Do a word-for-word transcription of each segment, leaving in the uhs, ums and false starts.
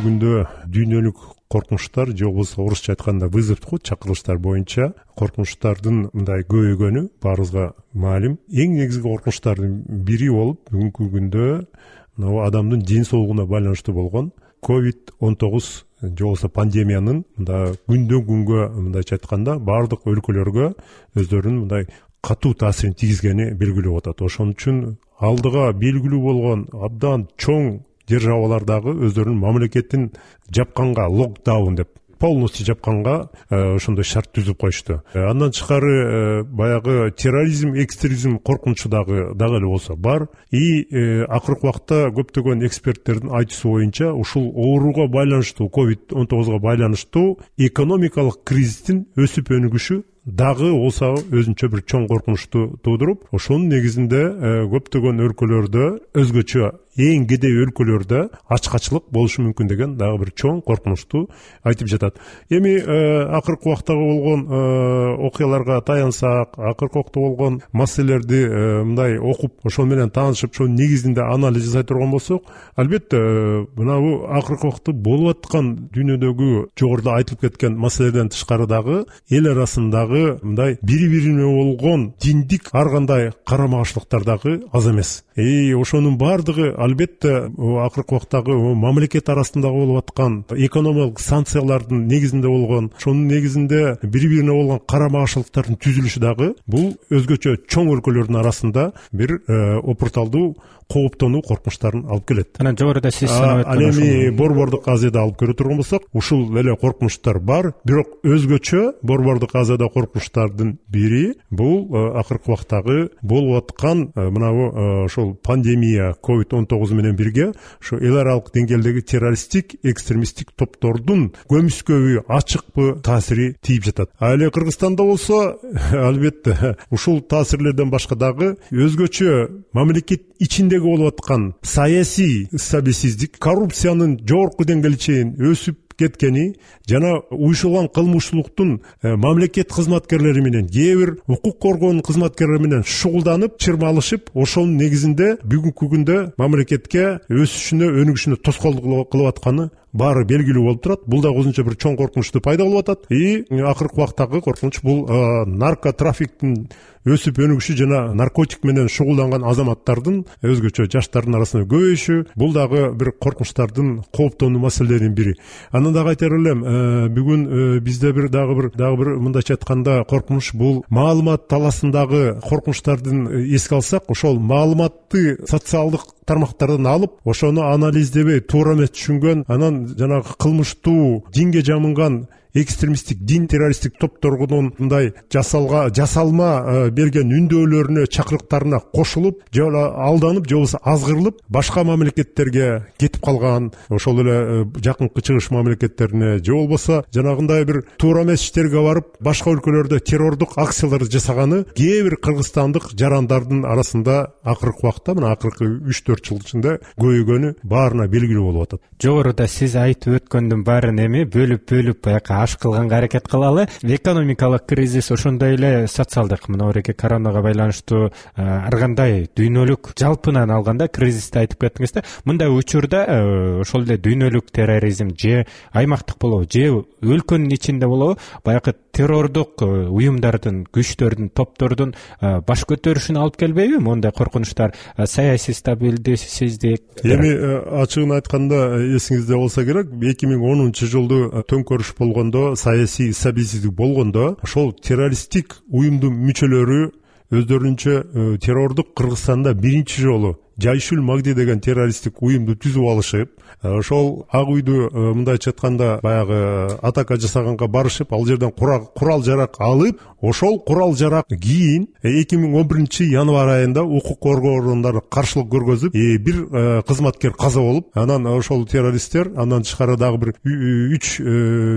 күндө дүйнөлүк коркунучтар же болбосо орусча айтканда вызов чакырылыштар боюнча коркунучтардын мындай көбөйгөнү баарыбызга маалим. Эң негизги коркунучтардын бири болуп бүгүнкү күндө мына адамдын ден соолугуна байланыштуу болгон ковид он тогуз же болбосо пандемиянын мындай күндөн күнгө мындайча айтканда баардык өлкөлөргө өздөрүнүн мындай катуу таасирин тийгизгени белгилүү болуп атат. Ошон үчүн алдыга белгилүү болгон абдан чоң державалардагы өздөрүнүн мамлекетин жапканга, локдаун деп полностью жапканга ошондой шарт түзүп коюшту. Андан тышкары баягы терроризм, экстремизм коркунучу дагы дагы эле болсо бар. И акыркы убакта көптөгөн эксперттердин айтуусу боюнча ушул ооруга байланыштуу, ковид он тогузга байланыштуу экономикалык кризистин өсүп өнүгүшү дагы болсо өзүнчө бир чоң коркунучту туудуруп, ошонун негизинде көптөгөн өлкөлөрдө өзгөчө эң кедей өлкөлөрдө ачкачылык болушу мүмкүн деген дагы бир чоң коркунучту айтып жатат. Эми акыркы убактагы болгон окуяларга таянсак, акыркы убакта болгон маселелерди мындай окуп, ошол менен таанышып, ошонун негизинде анализ жасай турган болсок, албетте мына бул акыркы убакта болуп аткан дүйнөдөгү жогоруда айтылып кеткен маселелерден тышкары дагы эл арасындагы мындай бири-бирине болгон диндик ар кандай карама-каршылыктар дагы аз эмес. И ошонун баардыгы албетте акыркы убактагы мамлекет арасындагы болуп аткан экономикалык санкциялардын негизинде болгон, ошонун негизинде бири-бирине болгон карама-каршылыктардын түзүлүшү дагы бул өзгөчө чоң өлкөлөрдүн арасында бир опурталдуу кооптонуу коркунучтарын алып келет. Анан жогоруда сиз санап өткөн ал эми Борбордук Азияда алып көрө турган болсок, ушул эле коркунучтар бар, бирок өзгөчө Борбордук Азияда коркунучтардын бири бул акыркы убактагы болуп аткан мына ошол пандемия ковид он тогуз менен бирге ошо эл аралык деңгээлдеги террористтик, экстремисттик топтордун көмүскөбү, ачыкпы таасири тийип жатат. А эле Кыргызстанда болсо албетте ушул таасирлерден башка дагы өзгөчө мамлекет ичиндеги болуп аткан саясий стабилсиздик, коррупциянын жогорку деңгээлге чейин өсүп кеткени жана уюшулган кылмыштуулуктун мамлекет кызматкерлери менен, кээ бир укук коргоонун кызматкерлери менен шугулданып, чырмалышып, ошонун негизинде бүгүнкү күндө мамлекетке өсүшүнө, өнүгүшүнө тоскоолдук кылып атканы баары белгилүү болуп турат. Бул да өзүнчө бир чоң коркунучту пайда кылып атат. И акыркы убактагы коркунуч бул наркотрафиктин өсүп өнүгүшү жана наркотик менен шугулданган азаматтардын, өзгөчө жаштардын арасында көбөйүшү, бул дагы бир коркунучтардын кооптонуу маселелеринин бири. Андан дагы айтар элем, бүгүн бизде бир дагы бир дагы бир мындайча айтканда коркунуч бул маалымат таласындагы коркунучтардын эске алсак, ошол маалыматты социалдык тармактардан алып, ошону анализдебей, туура эмес түшүнгөн, анан жанагы кылмыштуу, динге жамынган экстремисттик, дин террористтик топторунун мындай жасалга жасалма берген үндөөлөрүнө, чакырыктарына кошулуп, же алданып, же болбосо азгырылып, башка мамлекеттерге кетип калган, ошол эле жакынкы чыгыш мамлекеттерине, же болбосо жанагындай бир туура эмес иштерге барып, башка өлкөлөрдө террордук акцияларды жасаганы кээ бир кыргызстандык жарандардын арасында акыркы убакта, мына акыркы үч төрт жыл ичинде көбөйгөнү баарына белгилүү болуп атат. Жогоруда сиз айтып өткөндүн баарын эми бөлүп-бөлүп баягы аш кылганга аракет кылалы. Экономикалык кризис, ошондой эле социалдык, мынабеги коронага байланыштуу ар кандай дүйнөлүк жалпынан алганда кризисти айтып кеттиңиз да. Мындай учурда ошол эле дүйнөлүк терроризм же аймактык болобу, же өлкөнүн ичинде болобу, баягы террордук уюмдардын, күчтөрдүн, топтордун баш көтөрүшүнө алып келбейби мондай коркунучтар? Саясий стабилдиксиздик. Эми ачыгын айтканда эсиңизде болсо керек, эки миң онунчу жылды төңкөрүш болгондо, саясий стабилсиздик болгондо, ошол террористтик уюмдун мүчөлөрү өздөрүнчө террордук Кыргызстанда биринчи жолу Жайшул Магди деген террористтик уюмду түзүп алышып, ошол ак үйдү мындайча айтканда баягы атака жасаганга барышып, ал жерден курал жарак алып, ошол курал жарак кийин эки миң он биринчи январь айында укук коргоо органдары каршылык көргөзүп, бир кызматкер каза болуп, анан ошол террористтер андан тышкары дагы бир үч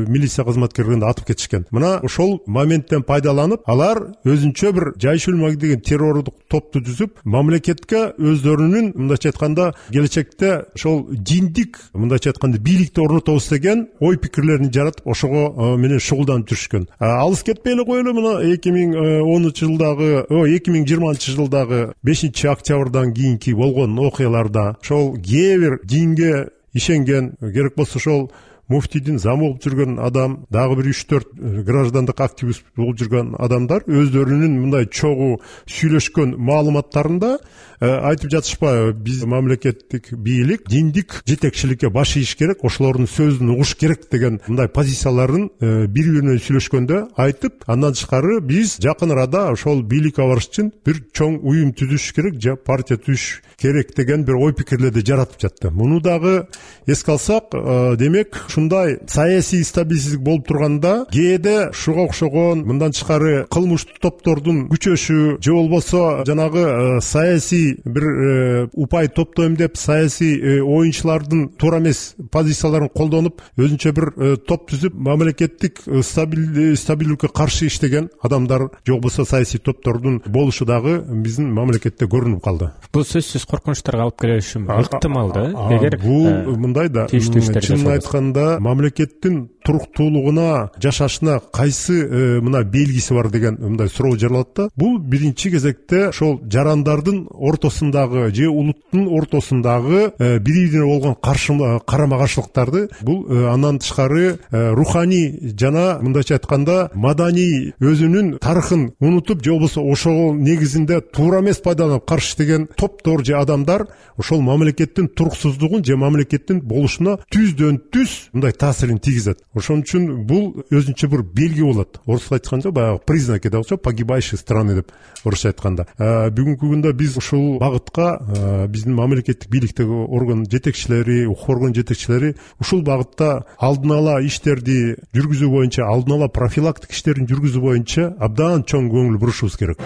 милиция кызматкерлерин атып кетишкен. Мына ошол моменттен пайдаланып, алар өзүнчө бир Жайшул Магди деген террордук топту түзүп, мамлекетке өздөрүнүн мындайча айтканда келечекте ошол диндик мындайча айтканда бийликти орнотобуз деген ой пикирлерин жаратып, ошого менен шугулданып жүрүшкөн. Алыс кетпей эле коелу, мына эки миң онунчу жылдагы, эки миң жыйырманчы жылдагы бешинчи октябрдан кийинки болгон окуяларда ошол кээ бир динге ишенген, керек болсо ошол муфтийдин замы болуп жүргөн адам, дагы бир үч төрт граждандык активист болуп жүргөн адамдар өздөрүнүн мындай чогуу сүйлөшкөн маалыматтарында айтып жатышпайбы, биз мамлекеттик бийлик диндик жетекчиликке баш ийиш керек, ошолордун сөзүн угуш керек деген мындай позицияларын бири бири менен сүйлөшкөндө айтып, андан тышкары биз жакын арада ошол бийликке барыш үчүн бир чоң уюм түзүш керек же партия түзүш керек деген бир ой пикирлерди жаратып жатты. Муну дагы эске алсак, демек ушундай саясий стабилсиздик болуп турганда кээде ушуга окшогон мындан тышкары кылмыштуу топтордун күчөшү же болбосо жанагы саясий бир упай топтойм деп саясий оюнчулардын туура эмес позицияларын колдонуп өзүнчө бир топ түзүп мамлекеттик стабилдүүлүккө каршы иштеген адамдар же болбосо саясий топтордун болушу дагы биздин мамлекетте көрүнүп калды. Бул сөзсүз коркунучтарга алып келиши ыктымал да. Эгер бул мындай да, чынын айтканда мамлекеттин туруктуулугуна, жашашына кайсы мына белгиси бар деген мындай суроо жаралат да. Бул биринчи кезекте ошол жарандардын ортосундагы же улуттун ортосундагы бири-бирине болгон каршы карама каршылыктарды, бул андан тышкары руханий жана мындайча айтканда маданий өзүнүн тарыхын унутуп же болбосо ошол негизинде туура эмес пайдаланып каршы иштеген топтор же адамдар ошол мамлекеттин туруксуздугун же мамлекеттин болушуна түздөн түз мындай таасирин тийгизет. Ошон үчүн бул өзүнчө бир белги болот. Орусча айтканда баягы признаки да болчу, погибающей страны деп орусча айтканда. Бүгүнкү күндө биз ушул багытка биздин мамлекеттик бийликтеги орган жетекчилери, укук орган жетекчилери ушул багытта алдын ала иштерди жүргүзүү боюнча, алдын ала профилактик иштерин жүргүзүү боюнча абдан чоң көңүл бурушубуз керек.